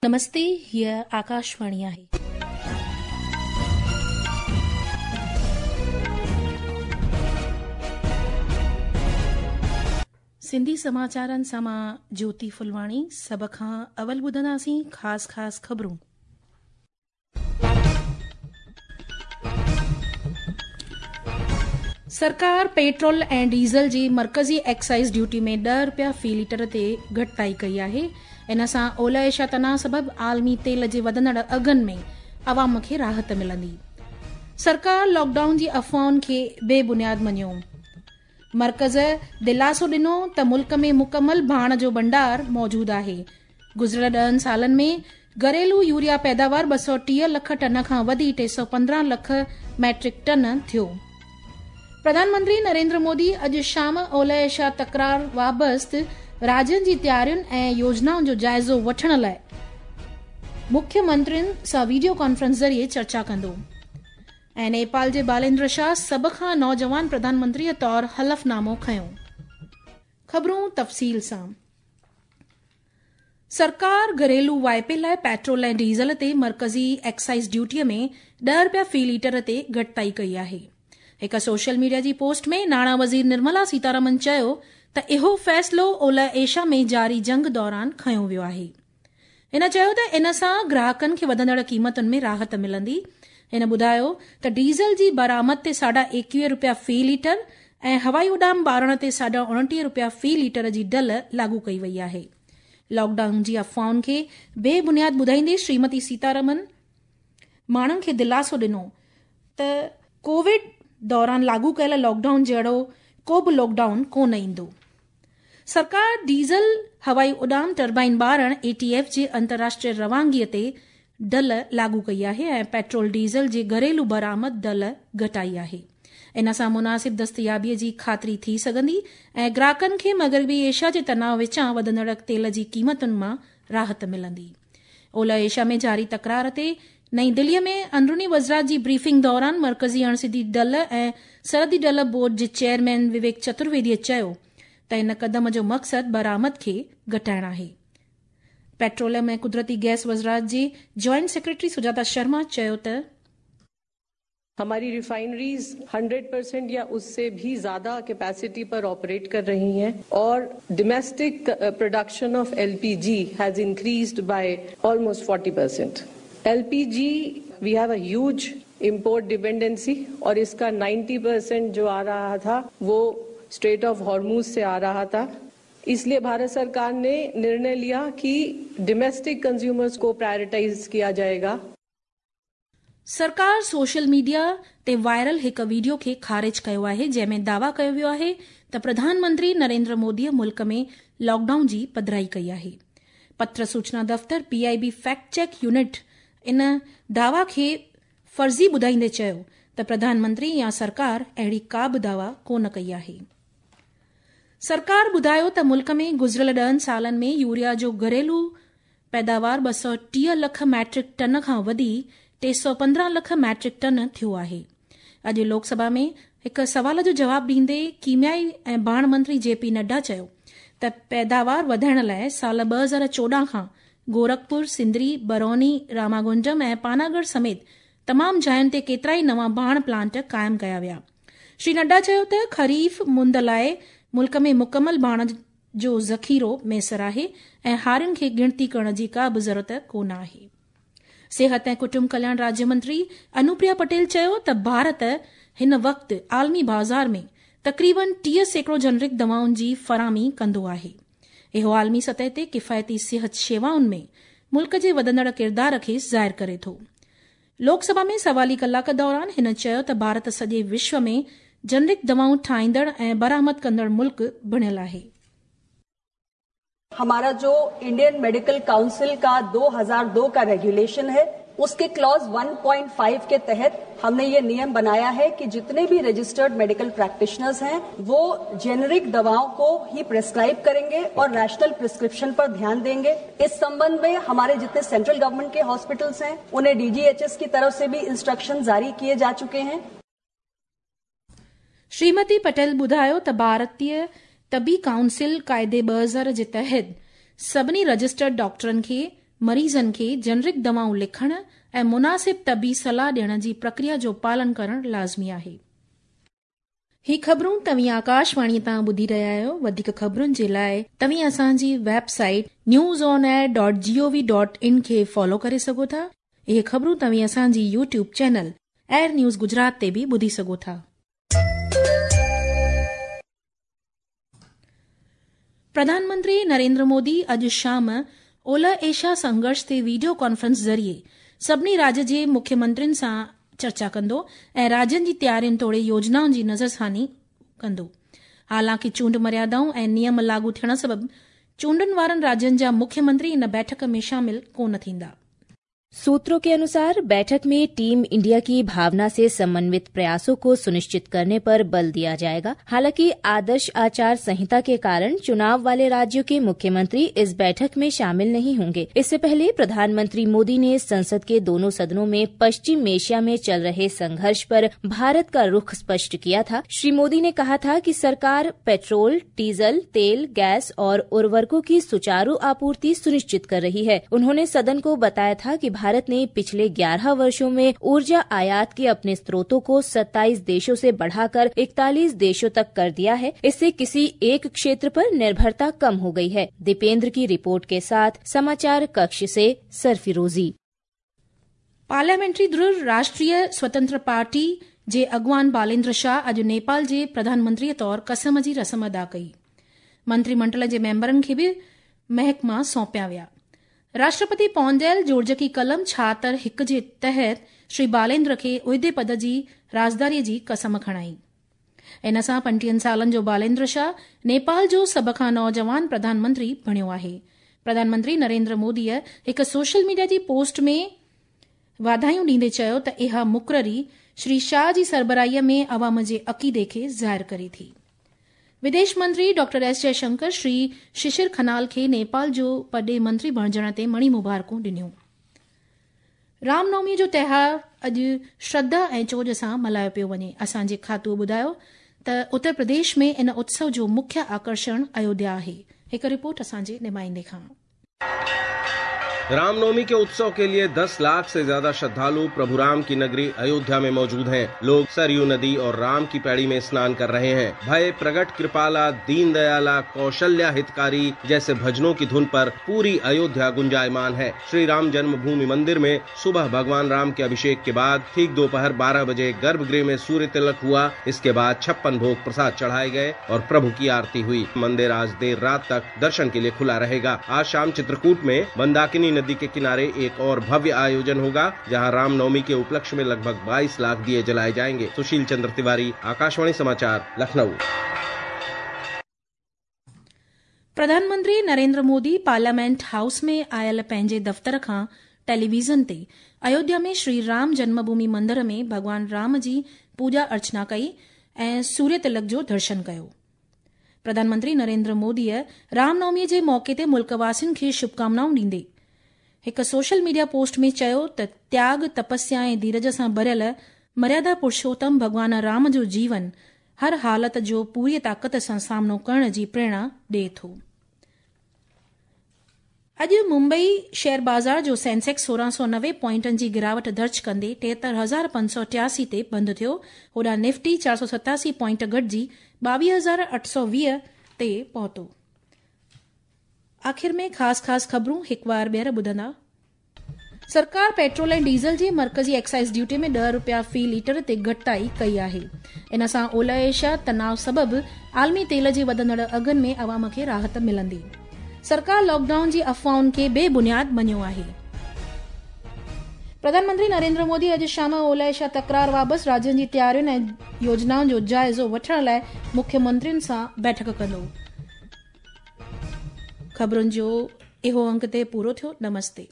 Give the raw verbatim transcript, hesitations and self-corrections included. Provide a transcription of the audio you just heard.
नमस्ते, हीअ आकाशवाणी आहे. सिंधी समाचारनि सां मां ज्योति फुलवाणी। सभ खां अवल ॿुधंदासीं ख़ासि ख़ासि ख़बरूं। सरकार पेट्रोल ऐं डीज़ल जी मर्कज़ी एक्साइज़ ड्यूटी में ॾह रुपया फ़ी लीटर ते घटिताई कई आहे। इन सां ओलह एशिया तनाव सबबि आलमी तेल जे वधंदड़ अघनि में आवाम खे राहत मिलंदी। सरकार लॉकडाउन जी अफ़वाहुनि खे बेबुनियाद मञियो। मर्कज़ दिलासो ॾिनो त मुल्क में मुकमल भाण जो भंडार मौजूद आहे। गुज़िरियल ॾहनि सालनि में घरेलू यूरिया पैदावार ॿ सौ टीह लख टन खां वधी टे सौ पंद्रहं लख मैट्रिक टन थियो। प्रधानमंत्री नरेंद्र मोदी अॼु शाम ओलह एशिया तकरार वाबस्त राज्यनि जी तयारियुनि ऐं योजनाउनि जो जाइज़ो वठण लाइ मुख्यमंत्रियुनि सां वीडियो कॉन्फ्रेंस ज़रिए चर्चा कंदो। ऐं नेपाल जे बालेंद्र शाह सभ खां नौजवान प्रधानमंत्रीअ तौर हलफनामो खयो। ख़बरूं तफ़सील सां। सरकार घरेलू वाइपे लाइ पेट्रोल ऐं डीज़ल ते मर्कज़ी एक्साइज़ ड्यूटीअ में ॾह रुपया फ़ी लीटर ते घटिताई कई आहे। हिकु सोशल मीडिया जी पोस्ट में नाणा वज़ीर निर्मला सीतारमन चयो त इहो फ़ैसिलो ओलह एशिया में जारी जंग दौरान खयो वियो आहे। हिन चयो त इन सां ग्राहकनि खे वधंदड़ क़ीमतुनि में राहत मिलंदी। हिन ॿुधायो त डीज़ल जी बरामद ते साढा एकवीह रुपया फ़ी लीटर ऐं हवाई उॾाम ॿारण ते साढा उणटीह रुपया फ़ी लीटर जी ढल लागू कई वई आहे। लॉकडाउन जी अफ़वाहुनि खे बेबुनियाद ॿुधाईंदे श्रीमती सीतारमन माण्हुनि खे दिलासो ॾिनो त कोविड दौरान लागू कयल लॉकडाउन जहिड़ो को बि लॉकडाउन कोन ईंदो। सरकार डीज़ल, हवाई उॾाम, टर्बाइन ॿारण, ए टी एफ जे अंतर्राष्ट्रीय रवानगीअ ते ढल लागू कई आहे ऐं पेट्रोल डीज़ल जे घरेलू बरामद ढल घटाई आहे। इन सां मुनासिब दस्तयाबीअ जी ख़ातिरी थी सघंदी ऐं ग्राहकनि खे मग़रबी एशिया जे तनाव विचां वधंदड़ तेल जी क़ीमतुनि मां राहत मिलंदी। ओलह एशिया में जारी तकरार ते नई दिल्लीअ में अंदरूनी वज़रात जी ब्रीफिंग दौरान मर्कज़ी अणसिधी ढल ऐं सरहदी ढल बोर्ड जे चेयरमैन विवेक चतुर्वेदीअ चयो त इन कदम जो मक़सदु बरामद खे घटाइण आहे। पेट्रोलियम ऐं कुदरती गैस वज़रात जे जॉइंट सेक्रेटरी सुजाता शर्मा चयो त हमारी रिफाइनरीज सौ परसेंट या उससे भी ज्यादा कैपेसिटी पर ऑपरेट कर रही हैं और domestic production of LPG has increased by almost चालीस percent. LPG we have a huge import dependency और इसका नब्बे परसेंट जो आ रहा था वो स्ट्रेट ऑफ हॉर्मूज से आ रहा था। इसलिए भारत सरकार ने निर्णय लिया कि डोमेस्टिक कंज्यूमर्स को प्रायोरिटाइज किया जाएगा। सरकार सोशल मीडिया ते वायरल हिकु वीडियो खे ख़ारिज कयो आहे जंहिंमें दावा कयो वियो आहे त प्रधानमंत्री नरेंद्र मोदीअ मुल्क में लॉकडाउन जी पधराई कई आहे। पत्र सूचना दफ़्तर P I B fact check unit इन दावा खे फ़र्ज़ी ॿुधाईंदे चयो त प्रधानमंत्री या सरकार अहिड़ी का बि दावा कोन कई आहे। सरकार ॿुधायो त मुल्क में गुज़िरियल ॾहनि सालनि में यूरिया जो घरेलू पैदावार ॿ सौ टीह लख मैट्रिक टन खां वधी टे सौ पंद्रहं लख मैट्रिक टन थियो आहे। अॼु लोकसभा में हिकु सवाल जो जवाब ॾींदे कीमियाई ऐं भाण मंत्री जे पी नड्डा चयो त पैदावार वधाइण लाइ साल ॿ हज़ार चोॾहं खां गोरखपुर, सिंदरी, बरौनी, रामागुंजम ऐं पानागढ़ समेत तमाम जायुनि ते केतिरा ई नवां भाण प्लांट क़ाइमु कया विया। श्री नड्डा चयो त ख़रीफ़ मुंद लाइ मुल्क में मुकमल भाण जो ज़ख़ीरो मयसर आहे ऐं हारियुनि खे गिणती करण जी का बि ज़रूरत कोन आहे। सिहत ऐं कुटुंब कल्याण राज्य मंत्री अनुप्रिया पटेल चयो त भारत हिन वक़्तु आलमी बाज़ार में तक़रीबन टीह सैकड़ो जनरिक दवाउनि जी फराहमी कंदो आहे। इहो आलमी सतह ते किफ़ायती सिहत शेवाउनि में मुल्क जे वधंदड़ किरदार खे ज़ाहिर करे थो। लोकसभा में सवाली कलाक दौरान हिन चयो त भारत सॼे विश्व में जनरिक दवाऊं ठाहींदड़ ऐं बरामद कंदड़ मुल्क बणियल आहे। हमारा जो इंडियन मेडिकल काउंसिल का दो हज़ार दो का रेगुलेशन है उसके क्लॉज एक पॉइंट पाँच के तहत हमने ये नियम बनाया है कि जितने भी रजिस्टर्ड मेडिकल प्रैक्टिशनर्स हैं वो जेनरिक दवाओं को ही प्रेस्क्राइब करेंगे और रैशनल प्रिस्क्रिप्शन पर ध्यान देंगे। इस संबंध में हमारे जितने सेंट्रल गवर्नमेंट के हॉस्पिटल्स हैं उन्हें डीजीएचएस की तरफ से भी इंस्ट्रक्शन जारी किए जा चुके हैं। श्रीमती पटेल ॿुधायो त भारतीय तबी काउंसिल काइदे ॿ हज़ार जे तहत सभिनी रजिस्टर्ड डॉक्टरनि खे مريضن کي جنرڪ دوائون لکڻ ۽ مناسب طبي صلاح ڏيڻ جي پرڪريا جو پالن ڪرڻ لازمي آهي. هي خبرون توهين آڪاشواڻي تان ٻڌي رهيا آهيو. وڌيڪ خبرن جي لاءِ توهين اسان جي website news on air dot G O V dot in کي فالو ڪري سگهو ٿا. اهي خبرون توهين اسان جي YouTube channel AIR news Gujarat تي به ٻڌي سگهو ٿا. پرڌان منتري نريندر مودي اڄ شام اولهه ايشيا سنگهرش تي وڊيو ڪانفرنس ذريعي سڀني راجيه جي مکيه منترين سان چرچا ڪندو ۽ راجين جي تيارين توڙي يوجنائن جي نظرثاني ڪندو. حالانڪه چونڊ مريادائون ۽ نيم لاڳو ٿيڻ سبب چونڊن وارن راجين جا مکيه منتري ان بيٺڪ ۾ شامل ڪونه ٿيندا. सूत्रों के अनुसार बैठक में टीम इंडिया की भावना से समन्वित प्रयासों को सुनिश्चित करने पर बल दिया जाएगा। हालांकि आदर्श आचार संहिता के कारण चुनाव वाले राज्यों के मुख्यमंत्री इस बैठक में शामिल नहीं होंगे। इससे पहले प्रधानमंत्री मोदी ने संसद के दोनों सदनों में पश्चिम एशिया में चल रहे संघर्ष पर भारत का रुख स्पष्ट किया था। श्री मोदी ने कहा था कि सरकार पेट्रोल, डीजल, तेल, गैस और उर्वरकों की सुचारू आपूर्ति सुनिश्चित कर रही है। उन्होंने सदन को बताया था कि भारत ने पिछले ग्यारह वर्षों में ऊर्जा आयात के अपने स्रोतों को सत्ताईस देशों से बढ़ाकर इकतालीस देशों तक कर दिया है। इससे किसी एक क्षेत्र पर निर्भरता कम हो गई है। दीपेंद्र की रिपोर्ट के साथ समाचार कक्ष से सरफिरोजी। पार्लियामेंट्री धुर राष्ट्रीय स्वतंत्र पार्टी जे अॻवान बालेंद्र शाह अॼु नेपाल जे प्रधानमंत्रीअ तौर कसम जी रस्म अदा कई। मंत्रीमंडल जे मेंबरनि खे बि महकमा सौंपिया विया। राष्ट्रपति पौंडेल जोड़जकी कलम छाहतरि हिकु जे तहत श्री बालेंद्र खे उहिदे पद जी राज़दारीअ जी कसम खणाई। इन सां पंटीहनि सालनि जो बालेंद्र शाह नेपाल जो सभ खां नौजवान प्रधानमंत्री बणियो आहे। प्रधानमंत्री नरेंद्र मोदीअ हिकु सोशल मीडिया जी पोस्ट में वाधायूं ॾींदे चयो त इहा मुक़ररी श्री शाह जी सरबराहीअ में अवाम जे अक़ीदे खे ज़ाहिर करे थी। विदेश मंत्री डॉक्टर एस जयशंकर श्री शिशिर खनाल खे नेपाल जो परॾेही मंत्री बणिजण ते मणि मुबारकूं ॾिनियूं। रामनवमीअ जो त्योहार अॼु श्रद्धा ऐं चोज सां मल्हायो पियो वञे। असांजे खातूअ ॿुधायो त उत्तर प्रदेश में इन उत्सव जो मुख्य आकर्षण अयोध्या आहे। हिकु रिपोर्ट असांजे नुमाइंदे खां। रामनवमी के उत्सव के लिए दस लाख से ज्यादा श्रद्धालु प्रभु राम की नगरी अयोध्या में मौजूद हैं। लोग सरयू नदी और राम की पैड़ी में स्नान कर रहे हैं। भय प्रगट कृपाला, दीन दयाला, कौशल्या हितकारी जैसे भजनों की धुन पर पूरी अयोध्या गुंजायमान है। श्री राम जन्मभूमि मंदिर में सुबह भगवान राम के अभिषेक के बाद ठीक दोपहर बारह बजे गर्भगृह में सूर्य तिलक हुआ। इसके बाद छप्पन भोग प्रसाद चढ़ाए गए और प्रभु की आरती हुई। मंदिर आज देर रात तक दर्शन के लिए खुला रहेगा। आज शाम चित्रकूट में मंदाकिनी नदी के किनारे एक और भव्य आयोजन होगा, जहां रामनवमी के उपलक्ष्य में लगभग बाईस लाख दिए जलाए जाएंगे। सुशील चंद्र तिवारी, आकाशवाणी समाचार, लखनऊ। प्रधानमंत्री नरेंद्र मोदी पार्लियामेंट हाउस में आयल पंहिंजे दफ़्तर खां टेलीविज़न ते अयोध्या में श्री राम जन्मभूमि मंदिर में भॻवान राम जी पूॼा अर्चना कई ऐं सूर्य तिलक जो दर्शन कयो। प्रधानमंत्री नरेंद्र मोदीअ रामनवमीअ जे मौक़े ते मुल्कवासियुनि खे शुभकामनाऊं ॾींदे हिकु सोशल मीडिया पोस्ट में चयो त त्याग, तपस्या ऐं धीरज सां भरियल मर्यादा पुरुषोत्तम भॻवान राम जो जीवन हर हालत जो पूरी ताक़त सां सामनो करण जी प्रेरणा ॾिए थो। अॼु मुंबई शेयर बाज़ार जो सेंसेक्स सोरहं सौ नवे पॉइंटनि जी गिरावट दर्ज कंदे टेहतरि हज़ार पंज सौ टियासी ते बंदि थियो। होॾां निफ्टी चारि सौ सतासी पॉइंट घटिजी ॿावीह हज़ार अठ सौ वीह ते पहुतो। आख़िर में ख़ासि ख़ासि ख़बरूं हिकु बार ॿीहर ॿुधंदा। सरकार पेट्रोल ऐं डीज़ल जे मर्कज़ी एक्साइज़ ड्यूटी में ॾह रुपया फ़ी लीटर ते घटिताई कई आहे। इन सां ओलह एशिया तनाव सबबु आलमी तेल जे वधंदड़ अघनि में अवाम खे राहत मिलंदी। सरकार लॉकडाउन जी अफ़वाहुनि खे बेबुनियाद मञियो आहे। प्रधानमंत्री नरेंद्र मोदी अॼु शाम ओलह एशिया तकरार बाबति राज्यनि जी तयारियुनि ऐं योजनाउनि जो जाइज़ो वठण लाइ मुख्यमंत्रियुनि सां बैठक कंदो। ख़बरुनि जो इहो अंक ते पूरो थियो। नमस्ते।